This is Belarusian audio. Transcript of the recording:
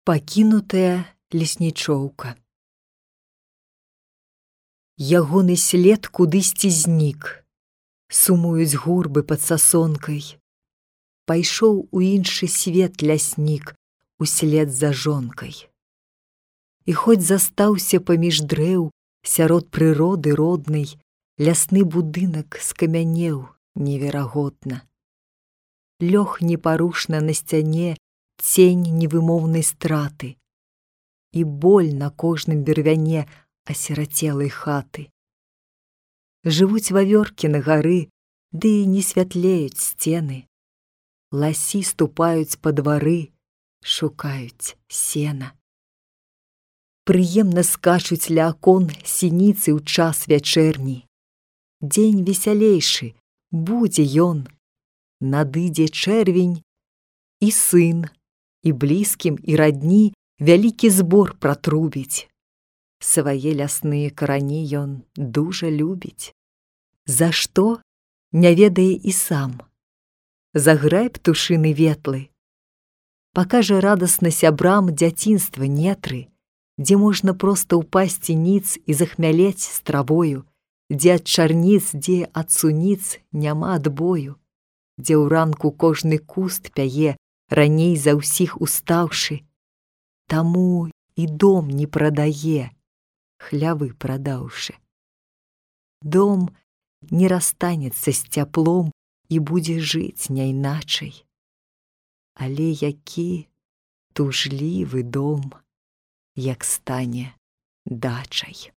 Пакінутая леснічоўка. Ягоны след кудысьці знік, сумуюць гурбы пад сасонкай. Пайшоў у іншы свет ляснік услед за жонкай. І хоць застаўся паміж дрэў, сярод прыроды роднай, лясны будынак скамянеў неверагодна. Лёг непарушна на сцяне цень невымоўнай страты і боль на кожным бервяне асірацелай хаты. Жывуць вавёркі на гары, ды не святлеюць сцены. Ласі ступаюць па двары, шукаюць сена. Прыемна скачуць ля акон сініцы ў час вячэрні. Дзень весялейшы, будзе ён. Надыдзе чэрвень, і сын, і блізкім, і радні вялікі збор пратрубіць. Свае лясныя карані ён дужа любіць. За што, не ведае і сам. Заграй птушыны ветлы. Пакажа радасна сябрам дзяцінства нетры, дзе можна проста ўпасці ніц і захмялець з травою, дзе ад чарніц, дзе ад суніц няма адбою, дзе ў ранку кожны куст пяе, раней за ўсіх устаўшы. Таму і дом не прадае, хлявы прадаўшы. Дом не расстанецца з цяплом і будзе жыць няйначай. Але які тужлівы дом, як стане дачай.